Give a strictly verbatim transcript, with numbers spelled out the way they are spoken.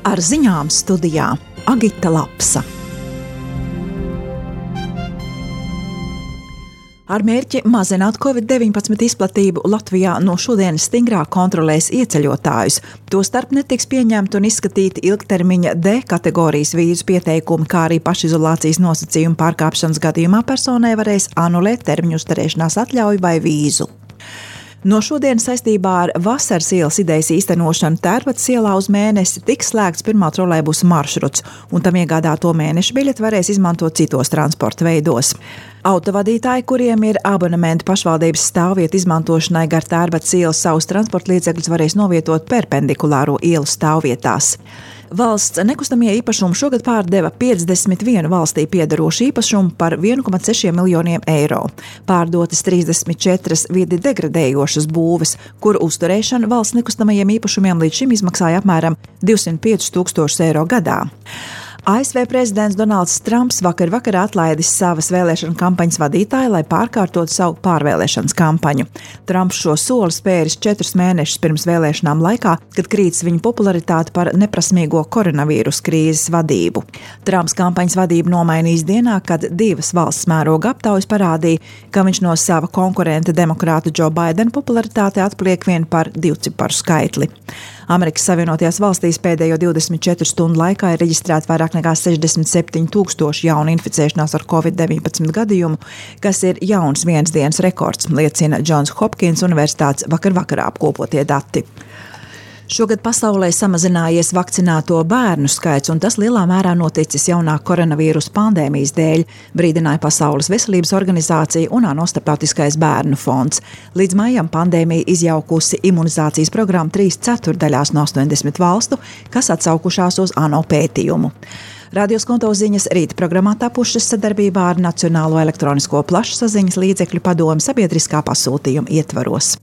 Ar ziņām studijā Agita Lapsa. Ar mērķi mazināt covid deviņpadsmit izplatību Latvijā no šodienas stingrāk kontrolēs ieceļotājus. Tostarp netiks pieņemti un izskatīti ilgtermiņa D kategorijas vīzu pieteikumi, kā arī pašizolācijas nosacījumu pārkāpšanas gadījumā personai varēs anulēt termiņu uzturēšanās atļauju vai vīzu. No šodienas saistībā ar Vasaras ielas idejas īstenošanu Tērbatas ielā uz mēnesi tiks slēgts pirmā trolejbusa maršruts, un tam iegādāto mēneša biļeti varēs izmantot citos transporta veidos. Autovadītāji, kuriem ir abonementi pašvaldības stāvvietu izmantošanai gar Tērbatas ielas, savus transporta līdzekļus varēs novietot perpendikulāro ielu stāvvietās. Valsts nekustamie īpašumi šogad pārdeva piecdesmit vienu valstī piederošu īpašumu par vienu komats seši miljoniem eiro. Pārdotas trīsdesmit četras vidi degradējošas būves, kuru uzturēšana valsts nekustamajiem īpašumiem līdz šim izmaksāja apmēram divsimt piecus tūkstošus eiro gadā. A S V prezidents Donalds Trumps vakar vakarā atlaidis savas vēlēšana kampaņas vadītāju, lai pārkārtotu savu pārvēlēšanas kampaņu. Trumps šo soli spēris četrus mēnešus pirms vēlēšanām laikā, kad krītas viņa popularitāte par neprasmīgo koronavīrus krīzes vadību. Trumps kampaņas vadību nomainīs dienā, kad divas valsts mēroga aptaujas parādīja, ka viņš no sava konkurenta demokrāta Joe Bidena popularitāte atpaliek vien par divciparu skaitli. Amerikas Savienotajās valstīs pēdējo divdesmit četru stundu laikā ir reģistrēti vairāk nekā sešdesmit septiņi tūkstoši jaunu inficēšanās ar covid deviņpadsmit gadījumu, kas ir jauns vienas dienas rekords, liecina Johns Hopkins Universitātes vakar vakarā apkopotie dati. Šogad pasaulē samazinājies vakcinēto bērnu skaits, un tas lielā mērā noticis jaunā koronavīrusa pandēmijas dēļ, brīdināja Pasaules veselības organizācija un ANO starptautiskais bērnu fonds. Līdz maijam pandēmija izjaukusi imunizācijas programmu trīs ceturdaļās no astoņdesmit valstu, kas atsaukušās uz ANO pētījumu. Radio Skonto ziņas rīta programmā tapušas sadarbībā ar Nacionālo elektronisko plašsaziņas līdzekļu padomi sabiedriskā pasūtījuma ietvaros.